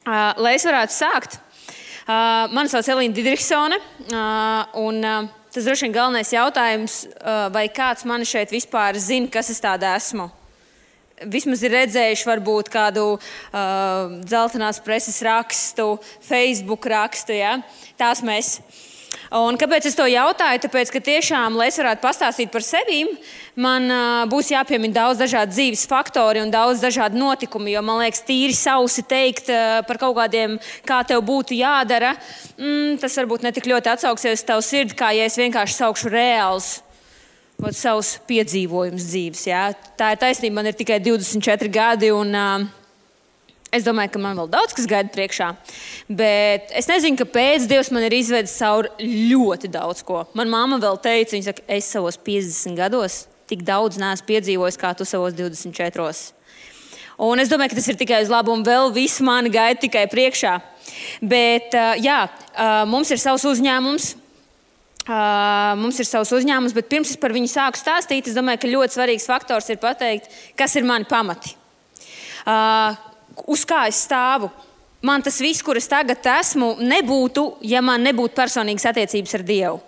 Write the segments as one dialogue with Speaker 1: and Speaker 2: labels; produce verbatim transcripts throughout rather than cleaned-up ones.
Speaker 1: Uh, lai es varētu sākt, uh, mani sauc Elīna Didriksone, uh, un uh, tas droši vien galvenais jautājums, uh, vai kāds mani šeit vispār zina, kas es tāda esmu. Vismaz ir redzējuši varbūt kādu uh, dzeltenās preses rakstu, Facebook rakstu, ja? Tās mēs. Un kāpēc es to jautāju? Tāpēc, ka tiešām, lai es varētu pastāstīt par sevi, man uh, būs jāpiemina daudz dažādu dzīves faktori un daudz dažādu notikumu, jo man liekas, tīri sausi teikt uh, par kaut kādiem, kā tev būtu jādara, mm, tas varbūt ne tik ļoti atsauksies tavu sirdi, kā ja es vienkārši saukšu reāls vat, savus piedzīvojumus dzīves. Ja? Tā ir taisnība, man ir tikai divdesmit četri gadi un uh, es domāju, ka man vēl daudz kas gaida priekšā, bet es nezinu, kāpēc Dievs man ir izvedis cauri ļoti daudz ko. Man mamma vēl teica, viņa saka, es savos piecdesmit gados tik daudz neesmu piedzīvojis, kā tu savos divdesmit četros. Un es domāju, ka tas ir tikai uz labu un vēl viss mani gaida tikai priekšā. Bet jā, mums ir savs uzņēmums, mums ir savs uzņēmums, bet pirms es par viņu sāku stāstīt, es domāju, ka ļoti svarīgs faktors ir pateikt, kas ir mani pamati. Uz kā es stāvu. Man tas viss, kur es tagad esmu, nebūtu, ja man nebūtu personīgas attiecības ar Dievu.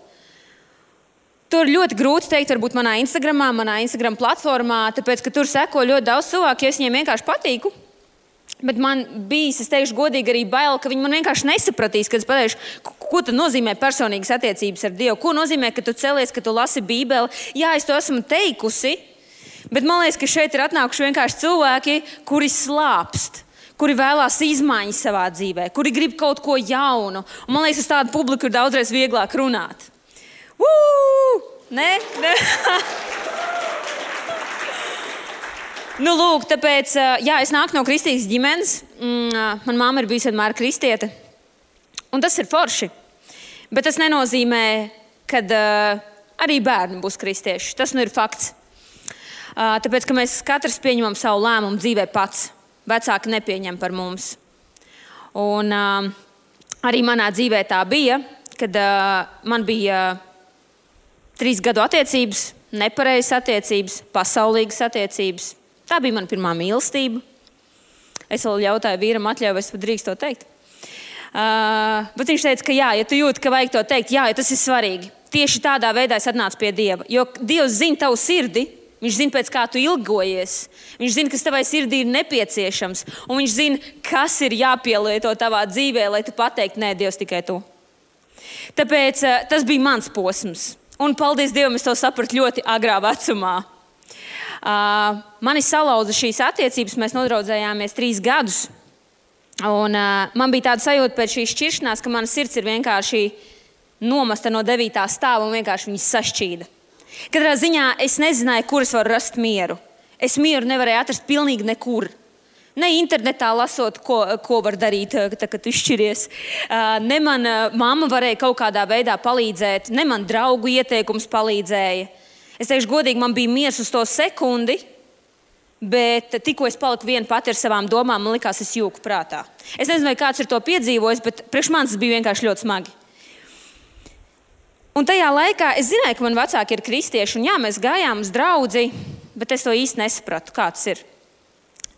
Speaker 1: Tur ļoti grūti teikt, varbūt manā Instagramā, manā Instagram platformā, tāpēc, ka tur seko ļoti daudz cilvēku, jo es viņiem vienkārši patīku. Bet man bijis, es teikšu godīgi, arī bail, ka viņi man vienkārši nesapratīs, kad es pateikšu, ko tad nozīmē personīgas attiecības ar Dievu. Ko nozīmē, ka tu celies, ka tu lasi Bībeli. Jā, es to esmu teikusi. Bet man liekas, ka šeit ir atnākuši vienkārši cilvēki, kuri slāpst, kuri vēlās izmaiņas savā dzīvē, kuri grib kaut ko jaunu. Un man liekas, uz tādu publiku ir daudzreiz vieglāk runāt. Uu! Nē? Nē? Nu, lūk, tāpēc, jā, es nāku no kristīgas ģimenes. Man mamma ir bijusi vienmēr kristiete. Un tas ir forši. Bet tas nenozīmē, ka arī bērni būs kristieši. Tas nu ir fakts. Tāpēc, ka mēs katrs pieņemam savu lēmumu dzīvē pats. Vecāki nepieņem par mums. Un uh, arī manā dzīvē tā bija, kad uh, man bija uh, trīs gadu attiecības, nepareizas attiecības, pasaulīgas attiecības. Tā bija mana pirmā mīlestība. Es vēl jautāju vīram atļauju, vai es drīkstu to teikt. Uh, bet viņš teica, ka jā, ja tu jūti, ka vajag to teikt, jā, ja tas ir svarīgi. Tieši tādā veidā es atnācu pie Dieva. Jo Dievs zina tavu sirdi, viņš zina, pēc kā tu ilgojies. Viņš zina, kas tavai sirdī ir nepieciešams. Un viņš zina, kas ir jāpielieto tavā dzīvē, lai tu pateiktu, nē, Dievs, tikai tu. Tāpēc uh, tas bija mans posms. Un paldies Dievam, es to sapratu ļoti agrā vecumā. Uh, mani salauza šīs attiecības, mēs nodraudzējāmies trīs gadus. Un uh, man bija tāda sajūta pēc šīs šķiršanās, ka mana sirds ir vienkārši nomasta no devītā stāva un vienkārši viņas sašķīda. Katrā ziņā es nezināju, kur es varu rast mieru. Es mieru nevarēju atrast pilnīgi nekur. Ne internetā lasot, ko, ko var darīt, tā, kad tu šķiries. Ne man mamma varēja kaut kādā veidā palīdzēt, ne man draugu ieteikums palīdzēja. Es teikšu godīgi, man bija miers uz to sekundi, bet tikko es paliku viena pati ar savām domām, man likās, es jūku prātā. Es nezinu, vai kāds ir to piedzīvojis, bet priekš manis tas bija vienkārši ļoti smagi. Un tajā laikā es zināju, ka man vecāki ir kristieši, un jā, mēs gājām uz draudzi, bet es to īsti nesapratu, kā tas ir.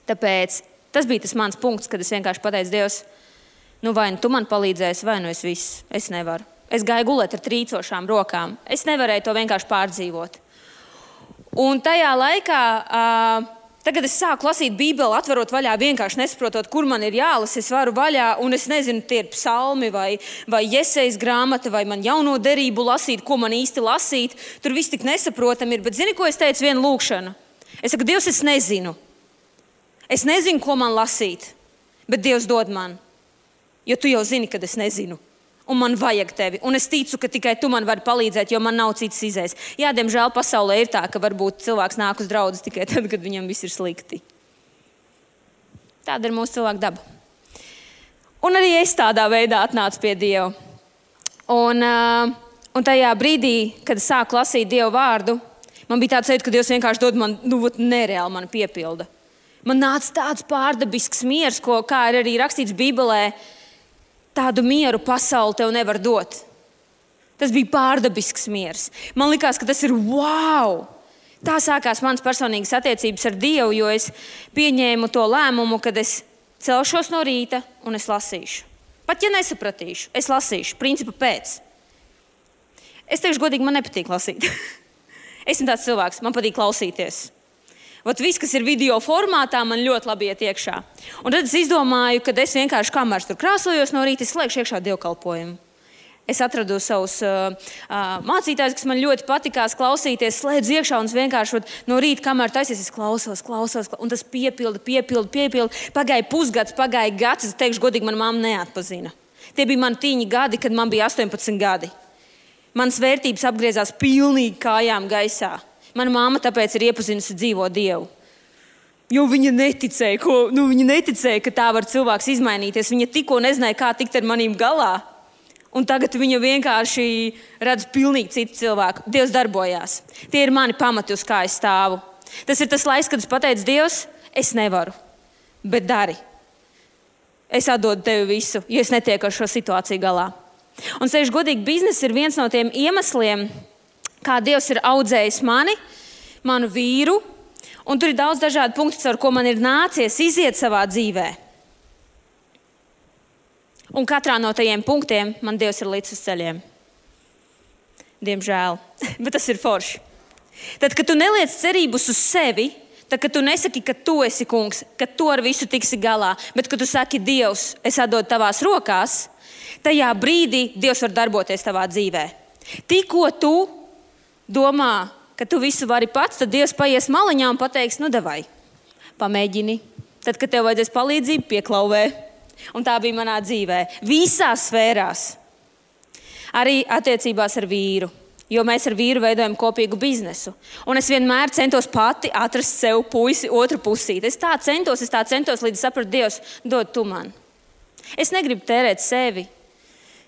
Speaker 1: Tāpēc tas bija tas mans punkts, kad es vienkārši pateicu, Dievs, nu vai nu tu man palīdzēsi, vai nu es viss, es nevaru. Es gāju gulēt ar trīcošām rokām. Es nevarēju to vienkārši pārdzīvot. Un tajā laikā, uh, tagad es sāku lasīt Bībeli, atverot vaļā, vienkārši nesaprotot, kur man ir jālasa, es varu vaļā, un es nezinu, tie ir psalmi vai, vai Jesejas grāmata, vai man jauno derību lasīt, ko man īsti lasīt. Tur viss tik nesaprotam ir, bet zini, ko es teicu, vienu lūkšanu? Es saku, Dievs, es nezinu. Es nezinu, ko man lasīt, bet Dievs dod man, jo tu jau zini, kad es nezinu. Un man vajag tevi. Un es ticu, ka tikai tu man vari palīdzēt, jo man nav cits izējas. Jā, diemžēl pasaulē ir tā, ka varbūt cilvēks nāk uz draudzes tikai tad, kad viņam viss ir slikti. Tāda ir mūsu cilvēka daba. Un arī es tādā veidā atnācu pie Dieva. Un, uh, un tajā brīdī, kad es sāku lasīt Dieva vārdu, man bija tāds sajūta, ka Dievs vienkārši dod man, nu, nereāli man piepilda. Man nāca tāds pārdabisks miers, ko, kā ir arī rakstīts Bībelē, tādu mieru pasauli tev nevar dot. Tas bija pārdabisks miers. Man likās, ka tas ir wow! Tā sākās manas personīgas attiecības ar Dievu, jo es pieņēmu to lēmumu, kad es celšos no rīta un es lasīšu. Pat ja nesapratīšu, es lasīšu, principa pēc. Es teikšu godīgi, man nepatīk lasīt. Esmu tāds cilvēks, man patīk klausīties. Vat viss, kas ir video formātā, man ļoti labi iet iekšā. Un tad es izdomāju, ka es vienkārši kamēr tur krāsojos no rīta, es slēgšu iekšā dievkalpojumu. Es atradu savus uh, uh, mācītājus, kas man ļoti patikās klausīties, slēdzu iekšā un es vienkārši vat, no rīta, kamēr taisies, es klausos, klausos, un tas piepilda, piepilda, piepilda. Pagāja pusgads, pagāja gads, es teikšu godīgi, man mamma neatpazina. Tie bija mani tīņi gadi, kad man bija astoņpadsmit gadi. Manas vērtības apgriezās pilnīgi kājām gaisā. Mana mamma tāpēc ir iepazinusi dzīvo Dievu. Jo viņa neticēja, ko, nu, viņa neticēja, ka tā var cilvēks izmainīties. Viņa tikko nezināja, kā tikt ar manīm galā. Un tagad viņa vienkārši redz pilnīgi citu cilvēku. Dievs darbojās. Tie ir mani pamati, uz kā es stāvu. Tas ir tas laiks, kad es pateicu, Dievs, es nevaru, bet dari. Es atdodu tevi visu, jo es netieku ar šo situāciju galā. Un sevišķi godīgi, biznesa ir viens no tiem iemesliem, kā Dievs ir audzējis mani, manu vīru, un tur ir daudz dažādu punktu, ar ko man ir nācies iziet savā dzīvē. Un katrā no tajiem punktiem man Dievs ir līdz uz ceļiem. Diemžēl, bet tas ir forši. Tad, kad tu neliec cerības uz sevi, tad, kad tu nesaki, ka tu esi kungs, ka tu ar visu tiksi galā, bet kad tu saki, Dievs, es atdodu tavās rokās, tajā brīdī Dievs var darboties tavā dzīvē. Tikko tu domā, ka tu visu vari pats, tad Dievs paies maliņā un pateiks, nu davai, pamēģini. Tad, kad tev vajadzēs palīdzību, pieklauvē. Un tā bija manā dzīvē. Visās sfērās. Arī attiecībās ar vīru. Jo mēs ar vīru veidojam kopīgu biznesu. Un es vienmēr centos pati atrast sev puisi otru pusīti. Es tā centos, es tā centos, līdz sapratu, Dievs, dod tu man. Es negribu tērēt sevi,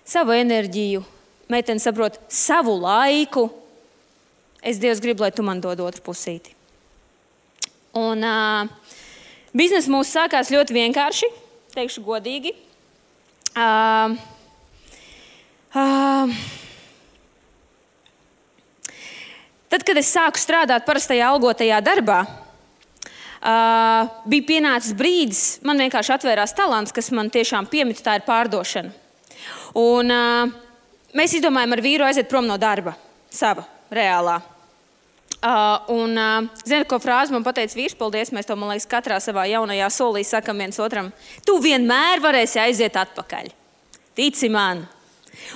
Speaker 1: savu enerģiju, meiteni saprot, savu laiku. Es, Dievs, gribu, lai tu man dod otru pusīti. Un uh, biznesa mūs sākās ļoti vienkārši, teikšu godīgi. Uh, uh, tad, kad es sāku strādāt parastajā algotajā darbā, uh, bija pienācis brīdis, man vienkārši atvērās talants, kas man tiešām piemita, tā ir pārdošana. Un uh, mēs izdomājām ar vīru aiziet prom no darba, sava, reālā. Uh, un, uh, zini, ko frāzi man pateica vīrs, paldies, mēs to, man liekas, katrā savā jaunajā solī sakam viens otram. Tu vienmēr varēsi aiziet atpakaļ. Tici man.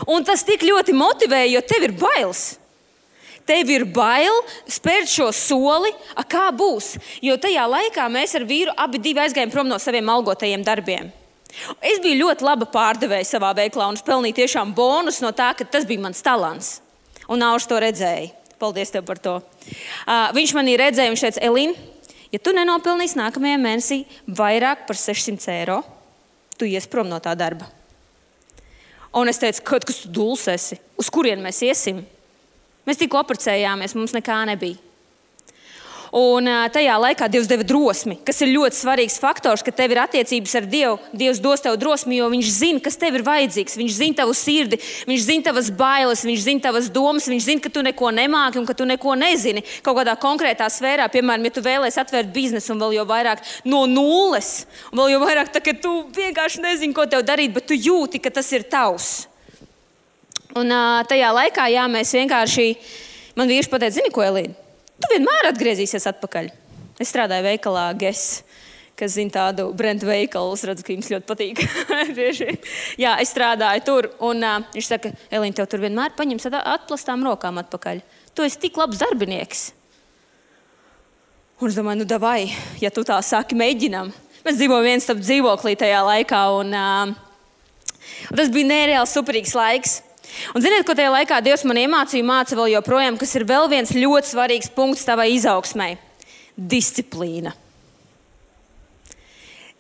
Speaker 1: Un tas tik ļoti motivēja, jo tev ir bailes. Tev ir bail spērt šo soli, a kā būs. Jo tajā laikā mēs ar vīru abi divi aizgājām prom no saviem algotajiem darbiem. Es biju ļoti laba pārdevēja savā veiklā un es pelnīju tiešām bonus no tā, ka tas bija mans talants. Un Nauris to redzēja. Paldies tev par to. Uh, viņš manī redzēja, viņš teica, Elīna, ja tu nenopelnīsi nākamajā mēnesī vairāk par sešsimt eiro, tu ies prom no tā darba. Un es teicu, kaut kas tu duls esi, uz kurien mēs iesim? Mēs tikko apprecējāmies, mums nekā nebija. Un tajā laikā Dievs deva drosmi, kas ir ļoti svarīgs faktors, ka tev ir attiecības ar Dievu. Dievs dos tev drosmi, jo viņš zina, kas tev ir vajadzīgs. Viņš zina tavu sirdi, viņš zina tavas bailes, viņš zina tavas domas, viņš zina, ka tu neko nemāki un ka tu neko nezini. Kaut kādā konkrētā sfērā, piemēram, ja tu vēlēsi atvērt biznesu un vēl jau vairāk no nulles, un vēl jau vairāk tā, ka tu vienkārši nezini, ko tev darīt, bet tu jūti, ka tas ir tavs. Un tajā laikā, jā, mēs vienkārši, man vīrs pateica, zini ko, Elīna? Tu vienmēr atgriezīsies atpakaļ. Es strādāju veikalā Guess, kas zina tādu brendu veikalu. Es redzu, ka jums ļoti patīk. Jā, es strādāju tur. Un uh, viņš saka, Elīna, tev tur vienmēr paņems atplastām rokām atpakaļ. Tu esi tik labs darbinieks. Un es domāju, nu davai, ja tu tā saki, mēģinam. Mēs dzīvojam viens starp dzīvoklī tajā laikā. Un, uh, un tas bija nereāli superīgs laiks. Un ziniet, ko tajā laikā Dievs man iemācīja, māca vēl joprojām, kas ir vēl viens ļoti svarīgs punkts tavai izaugsmai – disciplīna.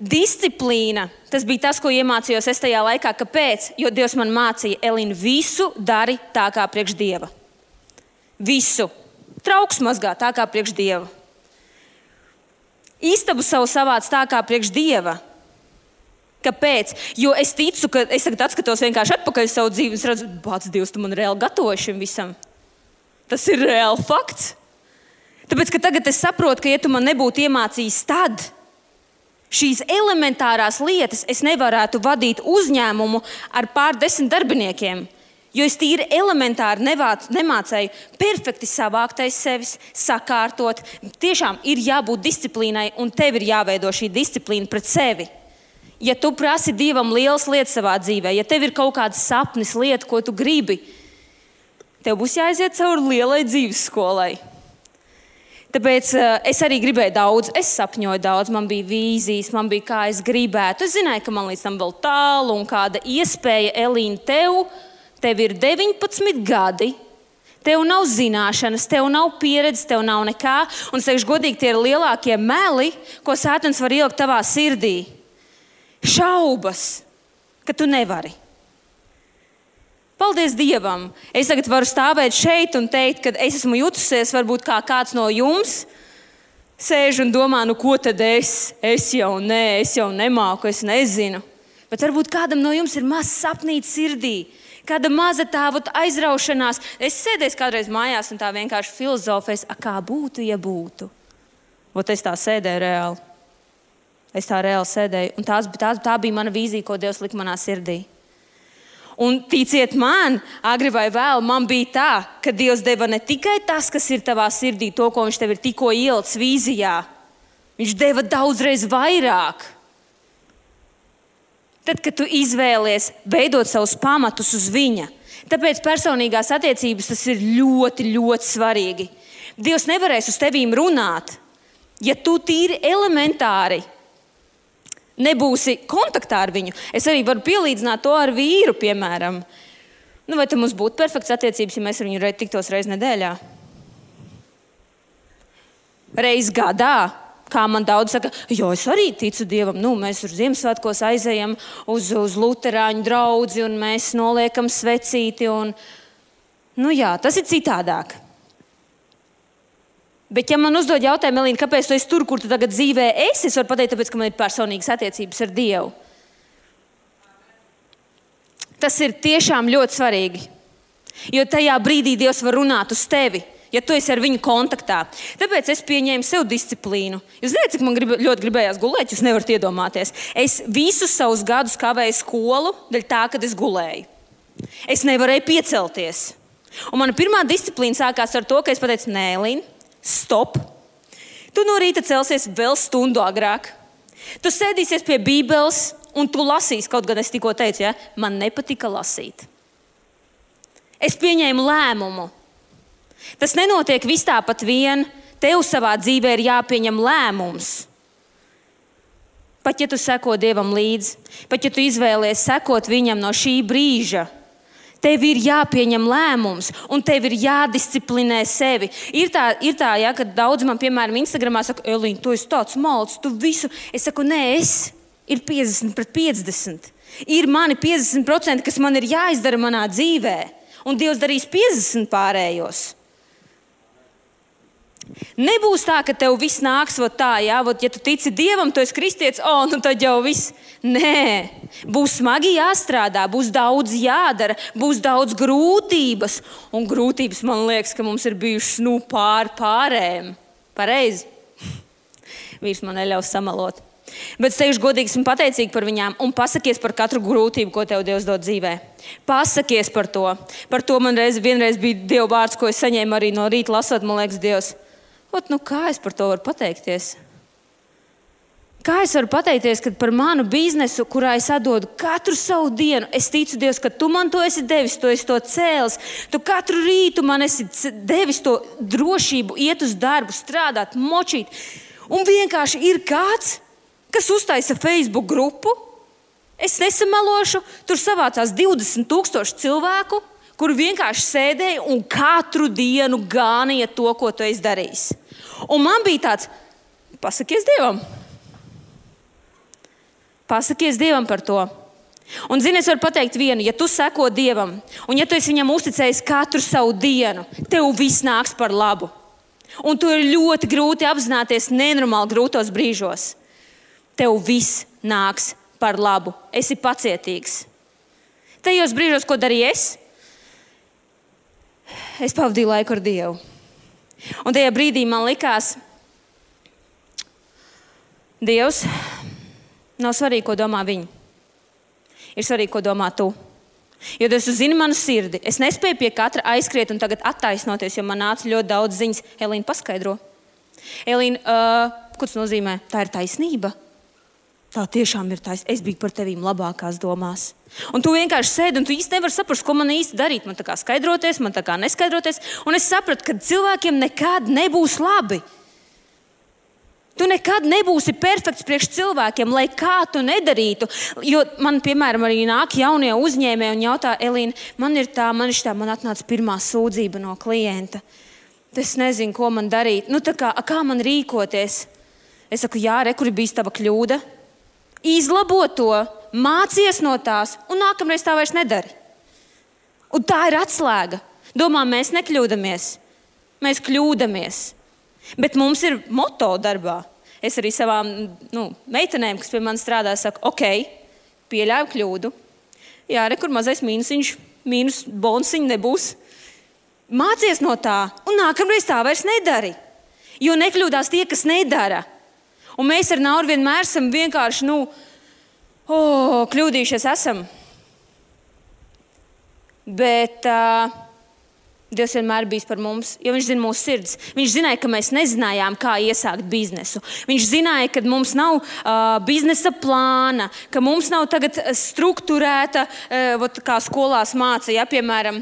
Speaker 1: Disciplīna, tas bija tas, ko iemācījos es tajā laikā. Kāpēc? Jo Dievs man mācīja, Elīna, visu dari tā kā priekš Dieva. Visu. Trauks mazgā tā kā priekš Dieva. Istabu savu savāc tā kā priekš Dieva. Kāpēc? Jo es ticu, ka es tagad atskatos vienkārši atpakaļ savu dzīvi, es redzu, bāc, Dievs, tu man reāli gatavoji šim visam. Tas ir reāli fakts. Tāpēc, ka tagad es saprotu, ka ja tu man nebūtu iemācījis tad, Šīs elementārās lietas es nevarētu vadīt uzņēmumu ar pārdesmit darbiniekiem, jo es tīri elementāri nevāc, nemācēju perfekti savākt aiz sevis, sakārtot. Tiešām ir jābūt disciplīnai, un tev ir jāveido šī disciplīna pret sevi. Ja tu prasi Dievam lielas lietas savā dzīvē, ja tev ir kaut kāds sapnis, lieta, ko tu gribi, tev būs jāaiziet cauri lielai dzīves skolai. Tāpēc uh, es arī gribēju daudz, es sapņoju daudz, man bija vīzijas, man bija kā es gribētu. Es zināju, ka man līdz tam vēl tālu un kāda iespēja, Elīna, tev, tev ir deviņpadsmit gadi, tev nav zināšanas, tev nav pieredzes, tev nav nekā. Un, teikšu godīgi, tie ir lielākie meli, ko Sātans var ielikt tavā sirdī. Šaubas, ka tu nevari. Paldies Dievam! Es tagad varu stāvēt šeit un teikt, ka es esmu jutusies, varbūt kā kāds no jums sēž un domā, nu ko tad es? Es jau nē, es jau nemāku, es nezinu. Bet varbūt kādam no jums ir maz sapnīts sirdī, kāda maza tāda aizraušanās. Es sēdēju kādreiz mājās un tā vienkārši filozofēs, a kā būtu, ja būtu. Ot es tā sēdēju reāli. Es tā reāli sēdēju. Un tās, tās, tā bija mana vīzija, ko Dievs lika manā sirdī. Un ticiet man, agri vai vēl, man bija tā, ka Dievs deva ne tikai tas, kas ir tavā sirdī, to, ko viņš tev ir tikko ielicis vīzijā. Viņš deva daudzreiz vairāk. Tad, kad tu izvēlies veidot savus pamatus uz viņa. Tāpēc personīgās attiecības tas ir ļoti, ļoti svarīgi. Dievs nevarēs uz tevīm runāt, ja tu tīri elementāri nebūsi kontaktā ar viņu. Es arī varu pielīdzināt to ar vīru, piemēram. Nu, vai tam mums būtu perfekts attiecības, ja mēs ar viņu tiktos reiz nedēļā? Reiz gadā, kā man daudz saka, jo es arī ticu Dievam. Nu, mēs uz Ziemassvētkos aizejam uz, uz luterāņu draudzi un mēs noliekam svecīti. Un... Nu jā, tas ir citādāk. Bet, ja man uzdod jautājumu, Elīna, kāpēc tu esi tur, kur tu tagad dzīvē esi, es varu pateikt, tāpēc, ka man ir personīgas attiecības ar Dievu. Tas ir tiešām ļoti svarīgi. Jo tajā brīdī Dievs var runāt uz tevi, ja tu esi ar viņu kontaktā. Tāpēc es pieņēmu sev disciplīnu. Jūs zināt, cik man grib, ļoti gribējās gulēt, jūs nevarat iedomāties. Es visus savus gadus kavēju skolu, dēļ tā, kad es gulēju. Es nevarēju piecelties. Un mana pirmā disciplīna sākās ar to, ka es pateicu, nē, Elīna, stop. Tu no rīta celsies vēl stundu agrāk. Tu sēdīsies pie Bībeles un tu lasīsi, kaut gan es tikko teicu, ja? Man nepatika lasīt. Es pieņēmu lēmumu. Tas nenotiek vis tāpat vien. Tev savā dzīvē ir jāpieņem lēmums. Pat ja tu seko Dievam līdzi, pat ja tu izvēlies sekot viņam no šī brīža, tev ir jāpieņem lēmums, un tev ir jādisciplinē sevi. Ir tā, ir tā ja, kad daudz man, piemēram, Instagramā saka, Elīna, tu esi tāds malds, tu visu. Es saku, nē, es ir piecdesmit pret piecdesmit. Ir mani piecdesmit procenti, kas man ir jāizdara manā dzīvē, un Dievs darīs piecdesmit pārējos. Nebūs tā, ka tev viss nāks vot tā, ja, vot, ja tu tici Dievam, tu esi kristietis, o, nu tad jau viss. Nē, būs smagi jāstrādā, būs daudz jādara, būs daudz grūtības. Un grūtības, man liekas, ka mums ir bijušas nu, pār pārējiem. Pareizi? Vīrs man neļaus samalot. Bet es teikšu godīgi, esmu pateicīga par viņām un pasakies par katru grūtību, ko tev Dievs dod dzīvē. Pasakies par to. Par to man reiz, vienreiz bija Dieva vārds, ko es saņēmu arī no rīta lasot, man liekas, Dievs. Ot, nu kā es par to varu pateikties? Kā es varu pateikties, ka par manu biznesu, kurā es atdodu katru savu dienu, es ticu, Dievs, ka tu man to esi devis, tu esi to cēlis. Tu katru rītu man esi devis to drošību, iet uz darbu, strādāt, močīt. Un vienkārši ir kāds, kas uztaisa Facebook grupu. Es nesamelošu, tur savācās divdesmit tūkstoši cilvēku, kur vienkārši sēdēja un katru dienu gānīja to, ko tu esi darījis. Un man bija tāds, pasakies Dievam. Pasakies Dievam par to. Un zini, es varu pateikt vienu, ja tu seko Dievam, un ja tu esi viņam uzticējis katru savu dienu, tev viss nāks par labu. Un to ir ļoti grūti apzināties nenormāli grūtos brīžos. Tev viss nāks par labu. Esi pacietīgs. Tajos brīžos, ko darīju es? Es pavadīju laiku ar Dievu. Un tajā brīdī man likās, Dievs, Nav svarīgi, ko domā viņi. Ir svarīgi, ko domā tu. Jo tas zini manu sirdi. Es nespēju pie katra aizskriet un tagad attaisnoties, jo man nāca ļoti daudz ziņas. Elīna, paskaidro. Elīna, uh, ko tas nozīmē? Tā ir taisnība. Tā tiešām ir taisnība. Es biju par tevīm labākās domās. Un tu vienkārši sēdi un tu īsti nevari saprast, ko man īsti darīt. Man tā kā skaidroties, man tā kā neskaidroties. Un es sapratu, ka cilvēkiem nekad nebūs labi. Tu nekad nebūsi perfekts priekš cilvēkiem, lai kā tu nedarītu. Jo man, piemēram, arī nāk jaunie uzņēmēji un jautā, Elīna, man ir tā, man ir tā, man atnāca pirmā sūdzība no klienta. Es nezinu, ko man darīt. Nu, tā kā, kā man rīkoties? Es saku, jā, re, kur ir bijis tava kļūda? Izlabo to, mācies no tās un nākamreiz tā vairs nedari. Un tā ir atslēga. Domā, mēs nekļūdamies. Mēs kļūdamies. Bet mums ir moto darbā. Es arī savām nu, meitenēm, kas pie manis strādā, saku, ok, pieļauju kļūdu. Jā, re, kur mazais mīnusiņš, mīnus bonusiņš nebūs. Mācies no tā, un nākamreiz tā vairs nedari. Jo nekļūdās tie, kas nedara. Un mēs ar Nauru vienmēr esam vienkārši, nu, oh, kļūdījušies esam. Bet uh, Dievs vienmēr bijis par mums, jo viņš zina mūsu sirds. Viņš zināja, ka mēs nezinājām, kā iesākt biznesu. Viņš zināja, ka mums nav uh, biznesa plāna, ka mums nav tagad strukturēta, uh, kā skolās māca, ja, piemēram,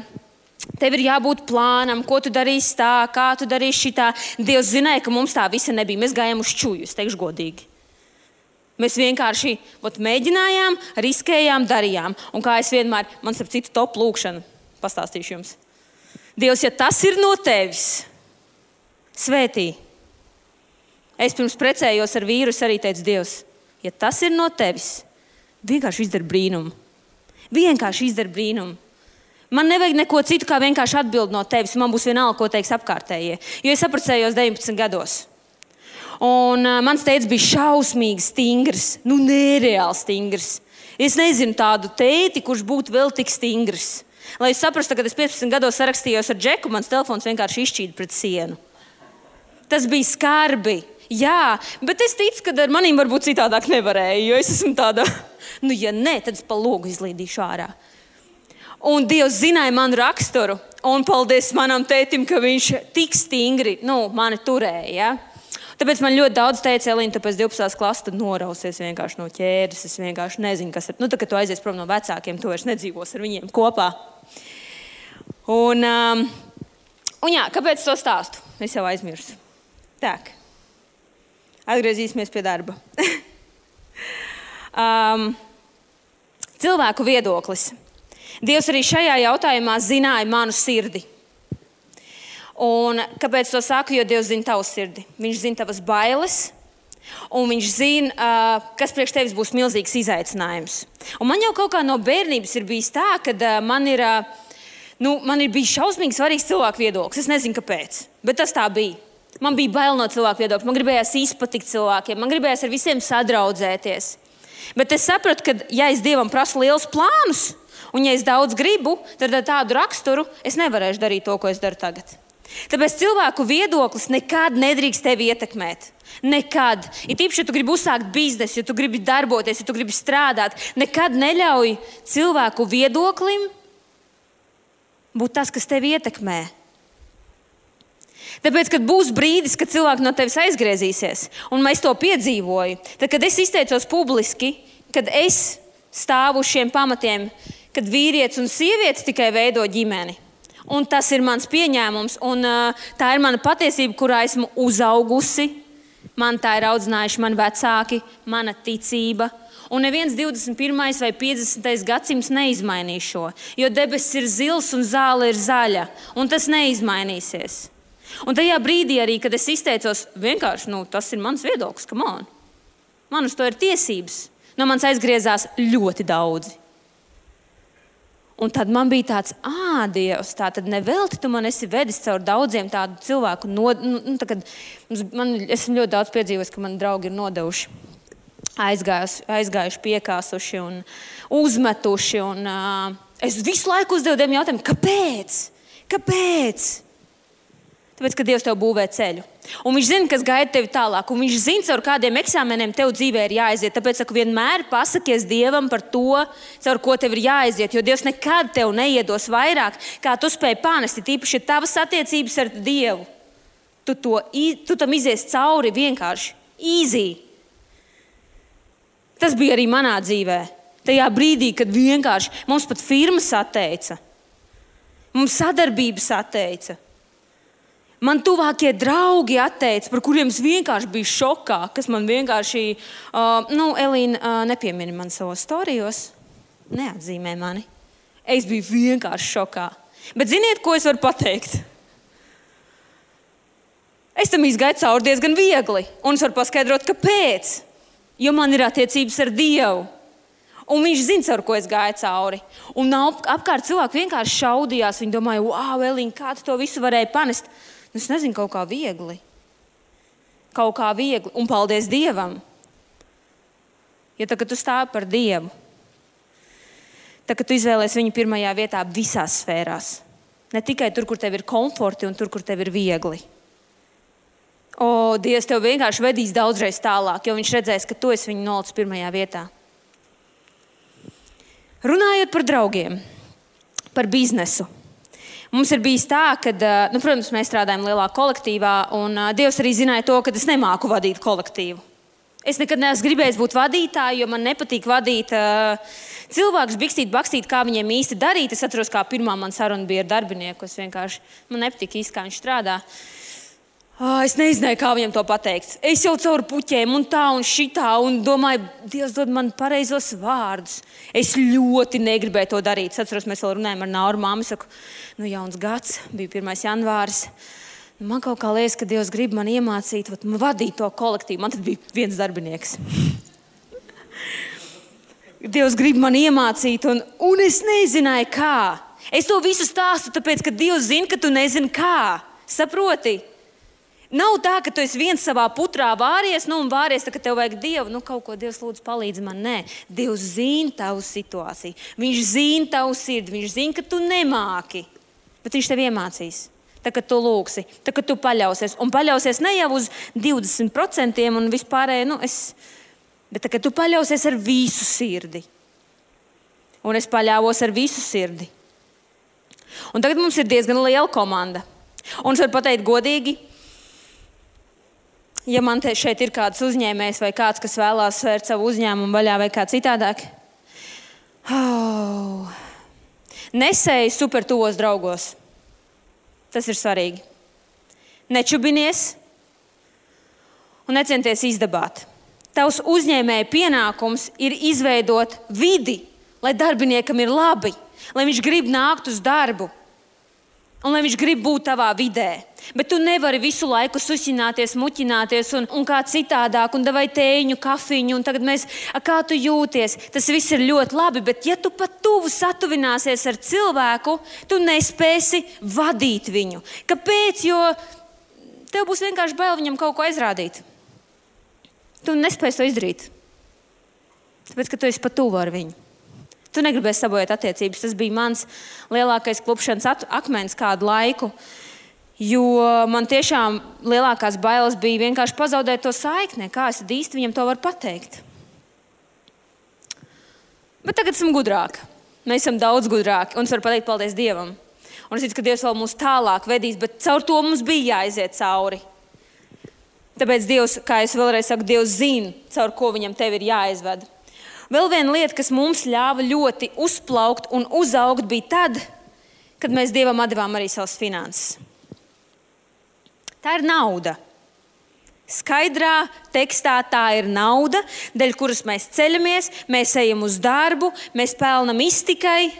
Speaker 1: tev ir jābūt plānam, ko tu darīsi tā, kā tu darīsi šitā. Dievs zināja, ka mums tā visa nebija. Mēs gājām uz čuju, es teikšu godīgi. Mēs vienkārši ot, mēģinājām, riskējām, darījām. Un kā es vienmēr, man starp citu top lūkšanu pastāstīšu jums. Dievs, ja tas ir no tevis, svētī. Es pirms precējos ar vīru, arī teicu, Dievs, ja tas ir no tevis, vienkārši izdara brīnumu. Vienkārši izdara brīnumu. Man nevajag neko citu, kā vienkārši atbild no tevis. Man būs vienalga, ko teiks apkārtējie. Jo es apprecējos deviņpadsmit gados. Un uh, mans tētis bija šausmīgi stingrs. Nu, nereāli stingrs. Es nezinu tādu tēti, kurš būtu vēl tik stingrs. Lai jūs saprastu, kad es piecpadsmit gados sarakstījos ar Džeku, mans telefons vienkārši izšķīda pret sienu. Tas bija skarbi. Jā, bet es ticu, ka ar manīm varbūt citādāk nevarēja, jo es esmu tāda, nu ja nē, tad es pa logu izlīdīšu ārā. Un Dievs zināja manu raksturu, un paldies manam tētim, ka viņš tik stingri, nu, mani turēja, ja? Tāpēc man ļoti daudz teica, Elīna, tāpēc divpadsmitās klases tad norausies vienkārši no ķēdes, es vienkārši nezinu, kas ir. Nu, tā, kad tu aizies prom no vecākiem, tu vairs nedzīvos ar viņiem kopā. Un, um, un jā, kāpēc to stāstu? Es jau aizmirsu. Tak, atgriezīsimies pie darba. um, cilvēku viedoklis. Dievs arī šajā jautājumā zināja manu sirdi. Un kāpēc to saku? Jo Dievs zina tavu sirdi. Viņš zina tavas bailes, un viņš zina, uh, kas priekš tevis būs milzīgs izaicinājums. Un man jau kaut kā no bērnības ir bijis tā, ka uh, man ir, uh, nu, man ir bijis šausmīgi svarīgs cilvēku viedoklis. Es nezinu, kāpēc, bet tas tā bija. Man bija bail no cilvēku viedokļa, man gribējās izpatikt cilvēkiem, man gribējās ar visiem sadraudzēties. Bet es sapratu, ka ja es Dievam prasu lielus plānus, un ja es daudz gribu, tad ar tādu raksturu es nevarēšu darīt to, ko es daru tagad. Tāpēc cilvēku viedoklis nekad nedrīkst tevi ietekmēt. Nekad. Ir tīpaši, ja tu gribi uzsākt biznesu, ja tu gribi darboties, ja tu gribi strādāt, nekad neļauj cilvēku viedoklim būt tas, kas tevi ietekmē. Tāpēc, kad būs brīdis, kad cilvēki no tevis aizgriezīsies, un es to piedzīvoju, tad, kad es izteicos publiski, kad es stāvu uz šiem pamatiem, kad vīrietis un sieviete tikai veido ģimeni. Un tas ir mans pieņēmums, un uh, tā ir mana patiesība, kurā esmu uzaugusi. Man tā ir audzinājuši mani vecāki, mana ticība. Un neviens divdesmit pirmais vai piecdesmitais gadsimts neizmainīs šo, jo debesis ir zils un zāle ir zaļa, un tas neizmainīsies. Un tajā brīdī arī, kad es izteicos, vienkārši, nu, tas ir mans viedoklis, come on. Man uz to ir tiesības. No manis aizgriezās ļoti daudzi. Un tad man bija tāds, ā, Dievs, tā tad nevelti tu man esi vedis caur daudziem tādu cilvēku. Nod, nu, tā, kad, man, esmu ļoti daudz piedzīvojis, ka mani draugi ir nodevuši, aizgājuši, aizgājuši piekāsuši un uzmetuši. Un, uh, es visu laiku uzdevu tiem jautājumu, kāpēc? Kāpēc? Tāpēc, ka Dievs tev būvē ceļu. Un viņš zina, kas gaida tevi tālāk. Un viņš zina, caur kādiem eksāmeniem tev dzīvē ir jāaiziet. Tāpēc, ka vienmēr pasakies Dievam par to, caur ko tev ir jāaiziet. Jo Dievs nekad tev neiedos vairāk, kā tu spēj panest. Tīpaši, ja tavas attiecības ar Dievu. Tu, to, tu tam izies cauri vienkārši. Easy. Tas bija arī manā dzīvē. Tajā brīdī, kad vienkārši mums pat firmas atteica. Mums sadarbības atteica. Man tuvākie draugi atteica, par kuriem es vienkārši biju šokā, kas man vienkārši, uh, nu, Elīna uh, nepiemini man savos storijos, neatzīmē mani. Es biju vienkārši šokā. Bet ziniet, ko es varu pateikt? Es tam izgāju cauri diezgan viegli, un es varu paskaidrot, kāpēc. Jo man ir attiecības ar Dievu. Un viņš zina, ar ko es gāju cauri. Un ap, apkārt cilvēki vienkārši šaudījās. Viņi domāja, wow, Elīna, kā tu to visu varēji panest? Es nezinu, kaut kā viegli. Kaut kā viegli. Un paldies Dievam. Ja tā, kad tu stāvi par Dievu, tā, kad tu izvēlies viņu pirmajā vietā visās sfērās. Ne tikai tur, kur tev ir komforti un tur, kur tev ir viegli. O, Dievs tev vienkārši vedīs daudzreiz tālāk, jo viņš redzēs, ka tu esi viņu nolicis pirmajā vietā. Runājot par draugiem, par biznesu. Mums ir bijis tā, ka, nu, protams, mēs strādājam lielā kolektīvā, un Dievs arī zināja to, ka es nemāku vadīt kolektīvu. Es nekad neesmu gribējis būt vadītāju, jo man nepatīk vadīt uh, cilvēkus, bikstīt, bakstīt, kā viņiem īsti darīt. Es atceros, kā pirmā man saruna bija ar darbinieku. Es vienkārši, man nepatīk īsti, kā viņš strādā. Oh, es nezināju, kā viņam to pateikt. Es jau caur puķiem un tā un šitā un domāju, Dievs dod man pareizos vārdus. Es ļoti negribēju to darīt. Es atceros, mēs vēl runājam ar Nauru māmu. Es saku, nu jauns gads, bija pirmais janvāris. Man kaut kā liekas, ka Dievs grib man iemācīt, vat, vadīt to kolektīvu. Man tad bija viens darbinieks. Dievs grib man iemācīt un, un es nezināju, kā. Es to visu stāstu, tāpēc, ka Dievs zina, ka tu nezini, kā. Saproti? Nav tā, ka tu esi viens savā putrā vāries, nu un vāries, tā, ka tev vajag Dievu, nu kaut ko Dievs lūdzu palīdzi man. Nē, Dievs zina tavu situāciju, viņš zina tavu sirdi, viņš zina, ka tu nemāki, bet viņš tev iemācīs. Tā, kad tu lūgsi, tā, kad tu paļausies, un paļausies ne jau uz divdesmit procentiem un vispārēji, nu es, bet tā, kad tu paļausies ar visu sirdi. Un es paļāvos ar visu sirdi. Un tagad mums ir diezgan liela komanda. Un es varu pateikt godīgi, ja man te šeit ir kāds uzņēmējs vai kāds, kas vēlās svērt savu uzņēmumu vaļā vai kā citādāk, oh, nesēji super tuvos draugos. Tas ir svarīgi. Nečubinies un necenties izdabāt. Tavs uzņēmēja pienākums ir izveidot vidi, lai darbiniekam ir labi, lai viņš grib nākt uz darbu un lai viņš grib būt tavā vidē. Bet tu nevari visu laiku susināties, muķināties un, un kā citādāk, un davai tēņu, kafiņu, un tagad mēs, a, kā tu jūties. Tas viss ir ļoti labi, bet ja tu pat tuvu satuvināsies ar cilvēku, tu nespēsi vadīt viņu. Kāpēc? Jo tev būs vienkārši bail viņam kaut ko aizrādīt. Tu nespēsi to izdarīt. Tāpēc, ka tu esi pat tuvu ar viņu. Tu negribēsi sabojāt attiecības. Tas bija mans lielākais klupšanas akmens kādu laiku. Jo man tiešām lielākās bailes bija vienkārši pazaudēt to saikni. Kā es tad īsti viņam to varu pateikt? Bet tagad esam gudrāki. Mēs esam daudz gudrāki. Un es varu pateikt paldies Dievam. Un es ticu, ka Dievs vēl mūs tālāk vedīs, bet caur to mums bija jāiziet cauri. Tāpēc Dievs, kā es vēlreiz saku, Dievs zina, caur ko viņam tev ir jāizved. Vēl viena lieta, kas mums ļāva ļoti uzplaukt un uzaugt, bija tad, kad mēs Dievam atdevām arī savas finanses. Tā ir nauda. Skaidrā tekstā tā ir nauda, dēļ kuras mēs ceļamies, mēs ejam uz darbu, mēs pelnam iztikai.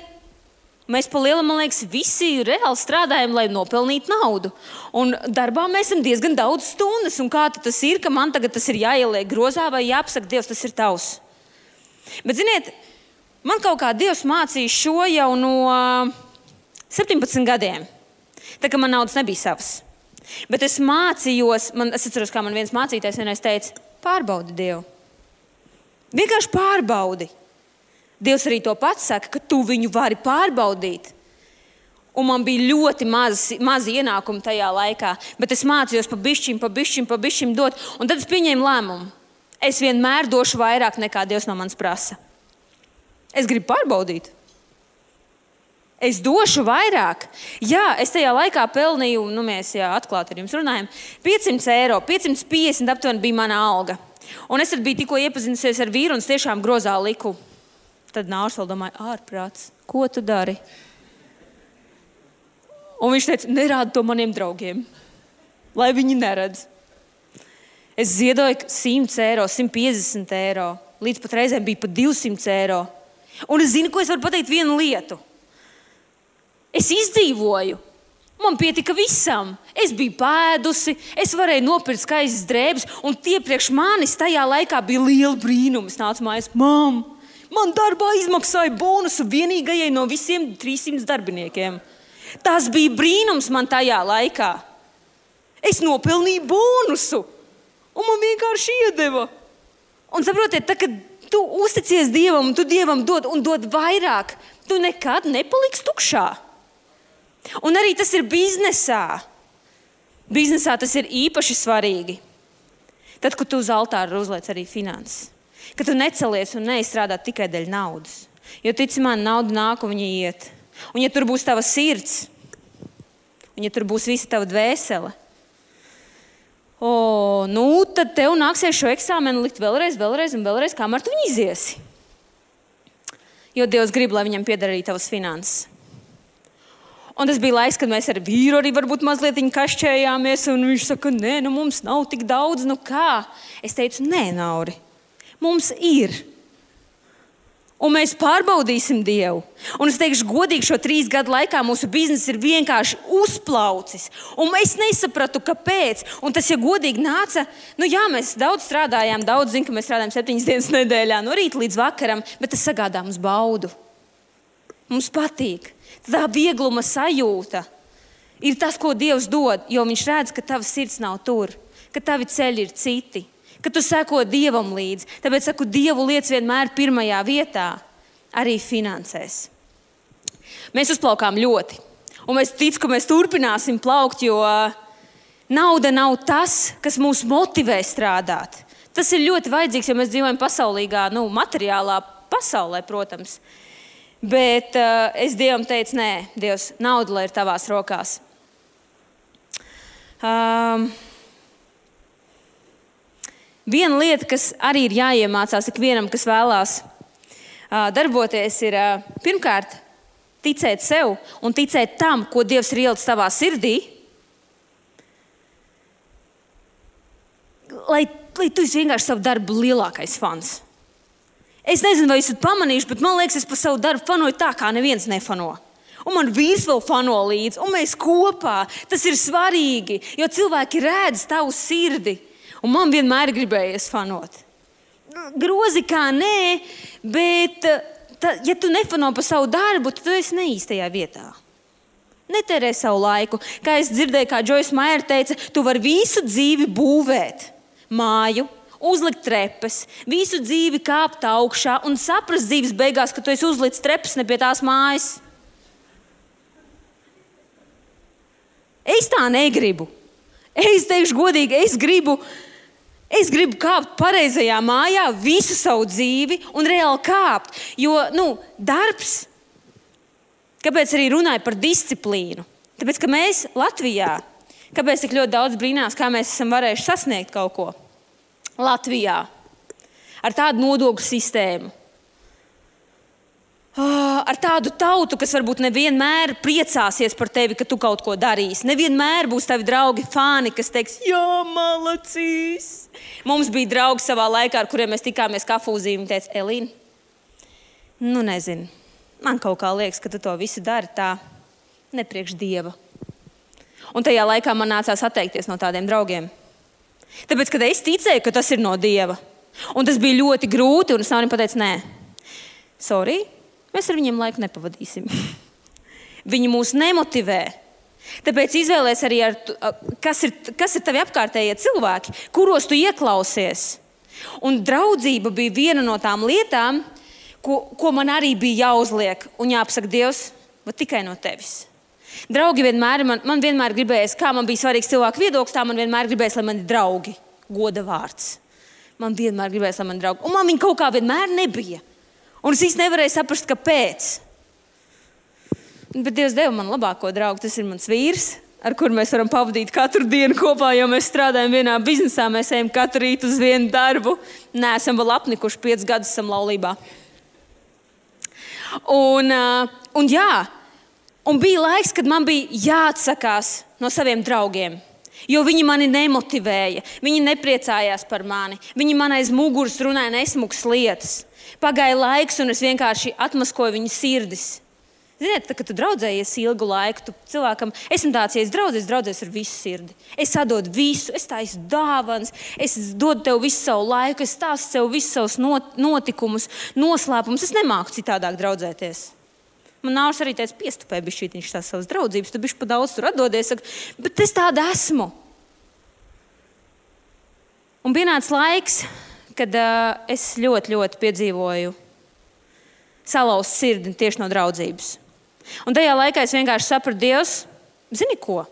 Speaker 1: Mēs pa lielam, man liekas, visi reāli strādājam, lai nopelnītu naudu. Un darbā mēs esam diezgan daudz stundas. Un kā tas ir, ka man tagad tas ir jāieliek grozā vai jāpasaka, Dievs, tas ir tavs. Bet, ziniet, man kaut kā Dievs mācīja šo jau no septiņpadsmit gadiem. Tā kā man naudas nebija savas. Bet es mācījos, man, es atceros, kā man viens mācītājs vienreiz teica, pārbaudi Dievu. Vienkārši pārbaudi. Dievs arī to pats saka, ka tu viņu vari pārbaudīt. Un man bija ļoti maz, maz ienākumu tajā laikā, bet es mācījos pa bišķim, pa bišķim, pa bišķim dot. Un tad es pieņēmu lēmumu. Es vienmēr došu vairāk nekā Dievs no manis prasa. Es gribu pārbaudīt. Es došu vairāk. Jā, es tajā laikā pelnīju, nu mēs jā, atklāti ar jums runājam, piecsimt eiro, piecsimt piecdesmit aptuveni bija mana alga. Un es tad biju tikko iepazinusies ar vīru un es tiešām grozā liku. Tad Nārs vēl domāja, ārprāts, ko tu dari? Un viņš teica, nerādi to maniem draugiem, lai viņi neredz. Es ziedoju simt eiro, simt piecdesmit eiro, līdz pat reizēm bija pat divsimt eiro. Un es zinu, ko es varu pateikt vienu lietu. Es izdzīvoju. Man pietika visam. Es biju pēdusi, es varēju nopirkt skaistas drēbes, un tie priekš manis tajā laikā bija liela brīnuma. Es nācu mājās, mam, man darbā izmaksāja bonusu vienīgajai no visiem trīssimt darbiniekiem. Tas bija brīnums man tajā laikā. Es nopelnīju bonusu, un man vienkārši iedeva. Un saprotiet, tā, kad tu uzticies Dievam, un tu Dievam dod un dod vairāk, tu nekad nepaliksi tukšā. Un arī tas ir biznesā. Biznesā tas ir īpaši svarīgi. Tad, kad tu uz altāra uzliec arī finanses. Kad tu necelies un neizstrādā tikai dēļ naudas. Jo tici man, nauda nāk un viņa iet. Un ja tur būs tava sirds, un ja tur būs visa tava dvēsele, o, nu, tad tev nāksies šo eksāmenu likt vēlreiz, vēlreiz un vēlreiz, kamēr tu viņu iziesi. Jo Dievs grib, lai viņam pieder arī tavas finanses. Un tas bija laiks, kad mēs ar vīru arī varbūt mazliet kašķējāmies, un viņš saka, nē, nu mums nav tik daudz, nu kā? Es teicu, nē, Nauri, mums ir. Un mēs pārbaudīsim Dievu. Un es teikšu, godīgi šo trīs gadu laikā mūsu bizness ir vienkārši uzplaucis. Un es nesapratu, kāpēc. Un tas, ja godīgi nāca, nu jā, mēs daudz strādājām, daudz zinu, ka mēs strādājam septiņas dienas nedēļā, no rīta līdz vakaram, bet tas sagādā mums baudu. Mums patīk. Tā viegluma sajūta ir tas, ko Dievs dod, jo viņš redz, ka tava sirds nav tur, ka tavi ceļi ir citi. Ka tu seko Dievam līdzi. Tāpēc saku, Dievu liec vienmēr pirmajā vietā, arī finansēs. Mēs uzplaukām ļoti. Un mēs ticu, ka mēs turpināsim plaukt, jo nauda nav tas, kas mūs motivē strādāt. Tas ir ļoti vajadzīgs, jo mēs dzīvojam pasaulīgā, nu, materiālā pasaulē, protams. Bet uh, es Dievam teicu, nē, Dievs, nauda, lai ir tavās rokās. Um, Viena lieta, kas arī ir jāiemācās ikvienam, kas vēlās uh, darboties, ir uh, pirmkārt ticēt sev un ticēt tam, ko Dievs ir ielicis tavā sirdī, lai, lai tu esi vienkārši savu darbu lielākais fans. Es nezinu, vai esat pamanījuši, bet man liekas, es par savu darbu fanoju tā, kā neviens nefano. Un man vīrs vēl fano līdzi, un mēs kopā. Tas ir svarīgi, jo cilvēki redz tavu sirdi. Un man vienmēr gribējies fanot. Grozi kā nē, bet ta, ja tu nefano par savu darbu, tad tu esi neīstajā vietā. Netērē savu laiku. Kā es dzirdēju, kā Joyce Meyer teica, tu vari visu dzīvi būvēt. Māju, uzlikt trepes, visu dzīvi kāpt augšā un saprast dzīves beigās, ka tu esi uzlicis trepes ne pie tās mājas. Es tā negribu. Es teikšu godīgi, es gribu... Es gribu kāpt pareizajā mājā visu savu dzīvi un reāli kāpt. Jo, nu, darbs, kāpēc arī runāju par disciplīnu? Tāpēc, ka mēs Latvijā, kāpēc tik ļoti daudz brīnās, kā mēs esam varējuši sasniegt kaut ko Latvijā ar tādu nodokļu sistēmu. Ar tādu tautu, kas varbūt nevienmēr priecāsies par tevi, ka tu kaut ko darīsi. Nevienmēr būs tavi draugi fani, kas teiks, jā, malacīs. Mums bija draugi savā laikā, ar kuriem mēs tikāmies kafūzī, un teica, Elīna, nu nezinu, man kaut kā liekas, ka tu to visu dari tā, nepriekš Dieva. Un tajā laikā man nācās atteikties no tādiem draugiem. Tāpēc, kad es ticēju, ka tas ir no Dieva, un tas bija ļoti grūti, un es nav viņam pateicu, nē, sorry, mēs ar viņiem laiku nepavadīsim. Viņi mūs nemotivē. Tāpēc izvēlēs arī, ar, kas, ir, kas ir tavi apkārtējie cilvēki, kuros tu ieklausies. Un draudzība bija viena no tām lietām, ko, ko man arī bija jāuzliek un jāpasaka Dievs, bet tikai no tevis. Draugi vienmēr, man, man vienmēr gribējās, kā man bija svarīgs cilvēku viedoklis, tā man vienmēr gribējās, lai man ir draugi, goda vārds. Man vienmēr gribējās, lai man ir draugi. Un man viņi kaut kā vienmēr nebija. Un es īsti nevarēju saprast, kāpēc. Bet Dievs deva man labāko draugu, tas ir mans vīrs, ar kuru mēs varam pavadīt katru dienu kopā, jo mēs strādājam vienā biznesā, mēs ejam katru rītu uz vienu darbu. Nē, esam vēl apnikuši, piecus gadus esam laulībā. Un, un jā, un bija laiks, kad man bija jāatsakās no saviem draugiem, jo viņi mani nemotivēja, viņi nepriecājās par mani, viņi man aiz muguras runāja nesmukas lietas. Pagāja laiks, un es vienkārši atmaskoju viņu sirdis. Ziniet, tā, kad tu draudzējies ilgu laiku, tu cilvēkam, esmu tāds, ja es draudzēs, draudzēs ar visu sirdi. Es atdodu visu, es taisu dāvanas, es dodu tev visu savu laiku, es stāstu tev visus savus notikumus, noslēpumus. Es nemāku citādāk draudzēties. Man nārs arī teica, piestupē bišķītiņš tās savas draudzības, tu bišķi pa daudz tur atdodies, saka, bet es tāda esmu. Un pienāca laiks, kad uh, es ļoti, ļoti piedzīvoju salauzt sirdi tieši no draudzības. Un tajā laikā es vienkārši sapratu, Dievs, zini ko?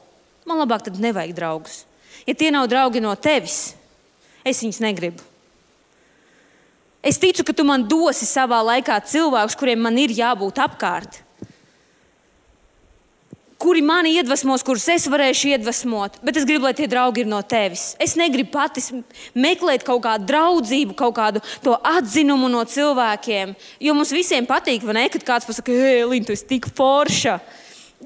Speaker 1: Man labāk tad nevajag draugus. Ja tie nav draugi no tevis, es viņus negribu. Es ticu, ka tu man dosi savā laikā cilvēkus, kuriem man ir jābūt apkārt. Kuri mani iedvesmos, kurus es varēšu iedvesmot, bet es gribu, lai tie draugi ir no tevis. Es negribu pati meklēt kaut kādu draudzību, kaut kādu to atzinumu no cilvēkiem, jo mums visiem patīk, vai ne, kad kāds pasaka, hei, Elīna, tu esi tik forša,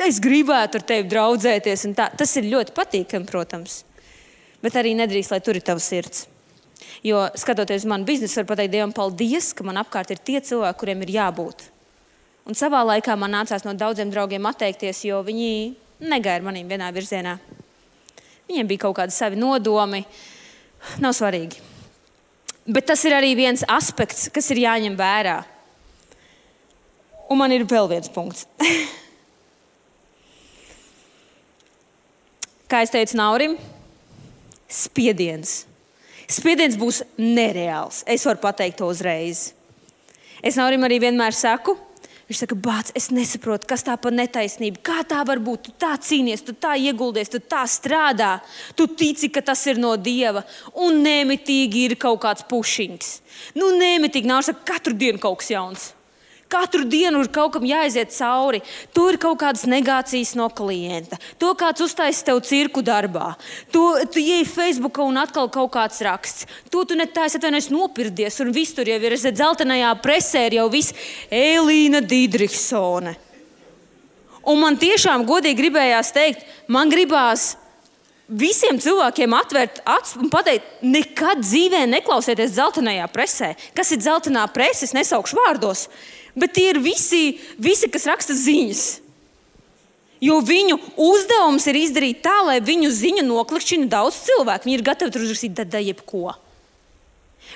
Speaker 1: es gribētu ar tevi draudzēties, un tā. Tas ir ļoti patīkami, protams, bet arī nedrīkst, lai tur ir tavs sirds. Jo, skatoties uz manu biznesu, var pateikt Dievam paldies, ka man apkārt ir tie cilvēki, kuriem ir jābūt. Un savā laikā man nācās no daudziem draugiem atteikties, jo viņi negāja ar manīm vienā virzienā. Viņiem bija kaut kādi savi nodomi. Nav svarīgi. Bet tas ir arī viens aspekts, kas ir jāņem vērā. Un man ir vēl viens punkts. Kā es teicu Naurim, spiediens. Spiediens būs nereāls. Es varu pateikt to uzreiz. Es Naurim arī vienmēr saku, viņš saka, bāc, es nesaprotu, kas tā par netaisnību. Kā tā var būt? Tu tā cīnies, tu tā ieguldies, tu tā strādā. Tu tici, ka tas ir no Dieva. Un nemitīgi ir kaut kāds pušiņks. Nu, nemitīgi nāk, saka, katru dienu kaut kas jauns. Katru dienu ir kaut kam jāiziet cauri. Tur ir kaut kādas negācijas no klienta. To kāds uztaisa tev cirku darbā. Tu, tu ieej Facebookā un atkal kaut kāds raksts. To tu netājas atvainojas nopirdies un viss tur jau ir. Es dzeltenajā presē ir jau viss Elīna Dīdriksone. Un man tiešām godīgi gribējās teikt, man gribās visiem cilvēkiem atvērt acis un pateikt, nekad dzīvē neklausieties dzeltenajā presē. Kas ir dzeltenā prese? Es nesaukšu vārdos. Bet tie ir visi, visi, kas raksta ziņas. Jo viņu uzdevums ir izdarīt tā, lai viņu ziņu noklikšķina daudz cilvēku. Viņi ir gatavi tur uzrakstīt da jebko.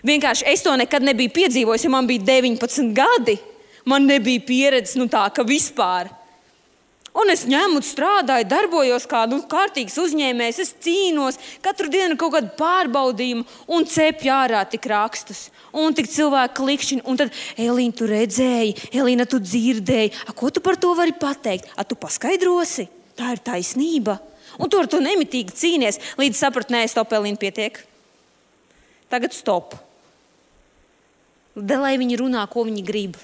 Speaker 1: Vienkārši es to nekad nebiju piedzīvojis, jo man bija deviņpadsmit gadi. Man nebija pieredzes, nu tā, ka vispār. Un es ņemu, strādāju, darbojos kā nu, kārtīgs uzņēmējs, es cīnos, katru dienu kaut kādu pārbaudījumu un cepju ārā tik rakstus. Un tik cilvēki klikšķina, un tad, Elīna, tu redzēji, Elīna, tu dzirdēji, a, ko tu par to vari pateikt? A, tu paskaidrosi? Tā ir taisnība. Un tu ar to nemitīgi cīnies, līdz sapratu, nē, stop, Elīna, pietiek. Tagad stop. Da, lai viņi runā, ko viņi grib.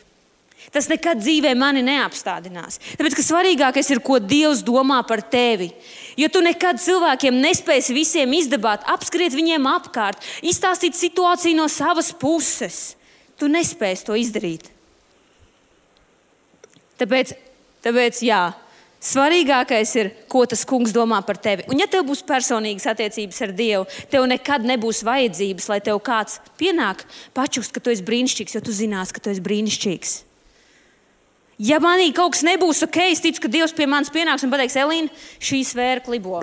Speaker 1: Tas nekad dzīvē mani neapstādinās. Tāpēc, ka svarīgākais ir, ko Dievs domā par tevi. Jo tu nekad cilvēkiem nespēsi visiem izdabāt, apskriet viņiem apkārt, izstāstīt situāciju no savas puses. Tu nespēsi to izdarīt. Tāpēc, tāpēc jā, svarīgākais ir, ko tas kungs domā par tevi. Un ja tev būs personīgas attiecības ar Dievu, tev nekad nebūs vajadzības, lai tev kāds pienāk pačukst, ka tu esi brīnišķīgs, jo tu zinās, ka tu esi brīnišķīgs. Ja manī kaut kas nebūs ok, es ticu, ka Dievs pie manis pienāks un pateiks, Elīna, šī sfēra klibo.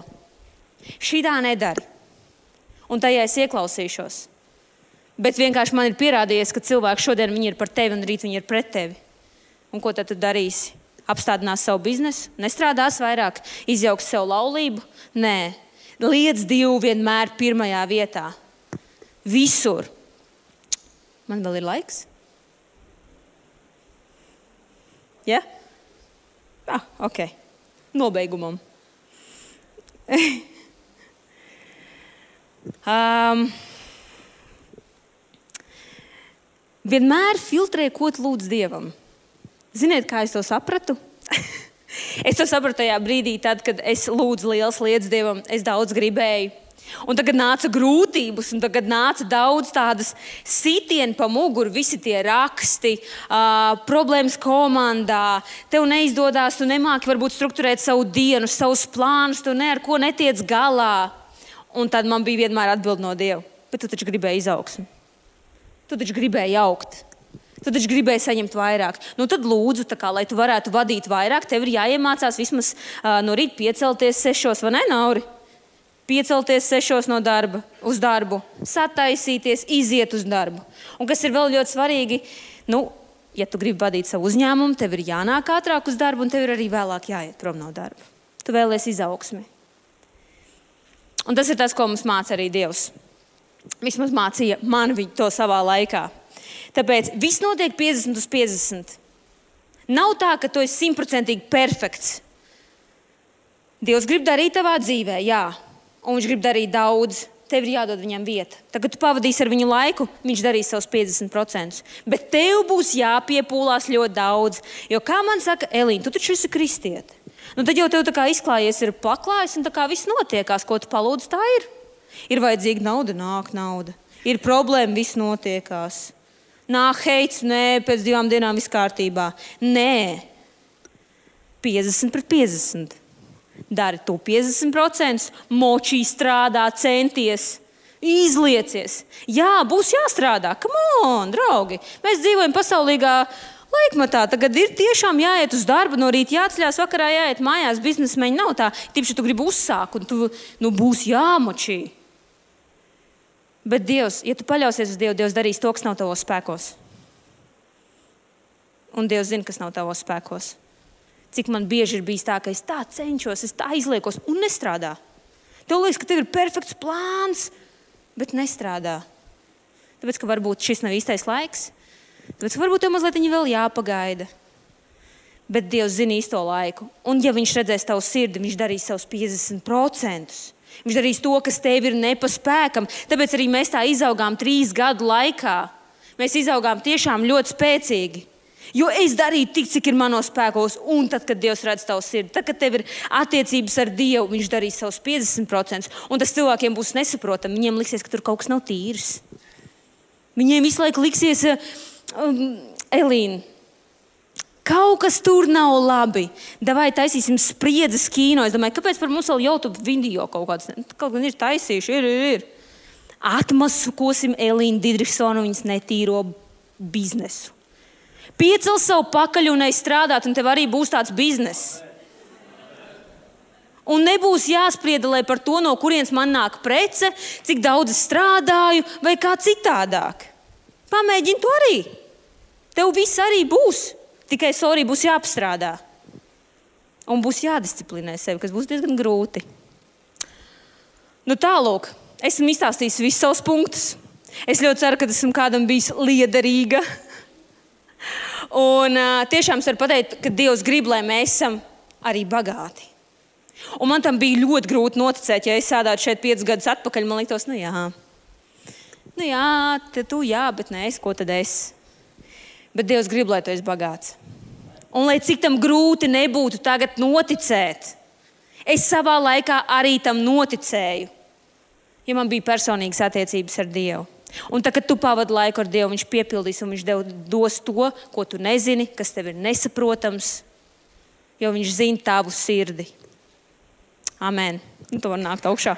Speaker 1: Šī tā nedara. Un tajā es ieklausīšos. Bet vienkārši man ir pierādījies, ka cilvēki šodien viņi ir par tevi un rīt viņi ir pret tevi. Un ko tad tu darīsi? Apstādinās savu biznesu? Nestrādās vairāk? Izjauks sev laulību? Nē. Liec Dievu vienmēr pirmajā vietā. Visur. Man vēl ir laiks? Ja? Ah, ok. nobeigumam. um, vienmēr filtrē, ko tu lūdz Dievam. Ziniet, kā es to sapratu? Es to sapratu tajā brīdī, tad, kad es lūdzu liels lietas Dievam, es daudz gribēju. Un tagad nāca grūtības, un tagad nāca daudz tādas sitieni pa muguru, visi tie raksti, uh, problēmas komandā, tev neizdodas, tu nemāki varbūt strukturēt savu dienu, savus plānus, tu ne ar ko netiec galā. Un tad man bija vienmēr atbild no Dieva, bet tu taču gribēji izaugsmi. Tu taču gribēji augt. Tu taču gribēji saņemt vairāk. Nu tad lūdzu, tā kā, lai tu varētu vadīt vairāk, tev ir jāiemācās vismaz uh, no rīta piecelties sešos, vai ne, Nauri? Piecelties sešos no darba, uz darbu, sataisīties, iziet uz darbu. Un kas ir vēl ļoti svarīgi, nu, ja tu gribi vadīt savu uzņēmumu, tev ir jānāk ātrāk uz darbu un tev ir arī vēlāk jāiet prom no darba. Tu vēlies izaugsmi. Un tas ir tas, ko mums māca arī Dievs. Vismaz mācīja man viņu to savā laikā. Tāpēc viss notiek piecdesmit uz piecdesmit. Nav tā, ka tu esi simtprocentīgi perfekts. Dievs grib darīt tavā dzīvē, jā. Un viņš grib darīt daudz, tev ir jādod viņam vieta. Tagad tu pavadīsi ar viņu laiku, viņš darīs savus piecdesmit procentus. Bet tev būs jāpiepūlās ļoti daudz. Jo, kā man saka, Elīna, tu taču esi kristiete. Nu, tad jau tev tā kā izklājies ir paklājis un tā kā viss notiekās, ko tu palūdz, tā ir. Ir vajadzīga nauda, nāk nauda. Ir problēma, viss notiekās. Nāk heits, nē, pēc divām dienām viss kārtībā. Nē, piecdesmit pret piecdesmit. Dari tu piecdesmit procentus, močī strādā, centies, izliecies. Jā, būs jāstrādā. Come on, draugi. Mēs dzīvojam pasaulīgā laikmatā. Tagad ir tiešām jāiet uz darbu, no rīta jāatceļās, vakarā jāiet mājās. Biznesmeņi nav tā. Tipši tu gribi uzsākt un tu, nu, būs jāmočī. Bet Dievs, ja tu paļausies uz Dievu, Dievs darīs to, kas nav tavos spēkos. Un Dievs zina, kas nav tavos spēkos. Cik man bieži ir bijis tā, ka es tā cenšos, es tā izliekos un nestrādā. Tev liekas, ka tev ir perfekts plāns, bet nestrādā. Tāpēc, ka varbūt šis nav īstais laiks. Tāpēc, ka varbūt tev mazliet vēl jāpagaida. Bet Dievs zina īsto laiku. Un ja viņš redzēs tavu sirdi, viņš darīs savus piecdesmit procentus. Viņš darīs to, kas tev ir nepaspēkam. Tāpēc arī mēs tā izaugām trīs gadu laikā. Mēs izaugām tiešām ļoti spēcīgi. Jo es darīju tik, cik ir manos spēkos, un tad, kad Dievs redz tavu sirdi, tad, kad tev ir attiecības ar Dievu, viņš darīs savus piecdesmit procentus, un tas cilvēkiem būs nesaprotami. Viņiem liksies, ka tur kaut kas nav tīrs. Viņiem visu laiku liksies, um, Elīna, kaut kas tur nav labi. Davai taisīsim spriedzes kino. Es domāju, kāpēc par mums vēl YouTube video kaut kāds, kaut gan ir taisījuši, ir, ir, ir. Atmaskosim Elīnu Didriksonu viņas netīro biznesu. Piecel savu pakaļ un neizstrādāt, un tev arī būs tāds bizness. Un nebūs jāspriedelē par to, no kurienes man nāk prece, cik daudz es strādāju, vai kā citādāk. Pamēģini to arī. Tev viss arī būs, tikai sorry būs jāpastrādā. Un būs jādisciplinē sevi, kas būs diezgan grūti. Nu tālūk, esmu izstāstījis visus savus punktus. Es ļoti ceru, ka esmu kādam bijis liederīga. Un uh, tiešām es varu pateikt, ka Dievs grib, lai mēs esam arī bagāti. Un man tam bija ļoti grūti noticēt, ja es sēdētu šeit piecus gadus atpakaļ, man liktos, nu jā, nu jā, te tu jā, bet nē, es, ko tad es? Bet Dievs grib, lai tu esi bagāts. Un lai cik tam grūti nebūtu tagad noticēt, es savā laikā arī tam noticēju, ja man bija personīgas attiecības ar Dievu. Un tad, kad tu pavadi laiku ar Dievu, viņš piepildīs un viņš tev dos to, ko tu nezini, kas tev ir nesaprotams, jo viņš zina tavu sirdi. Amen. Un tu vari nākt augšā.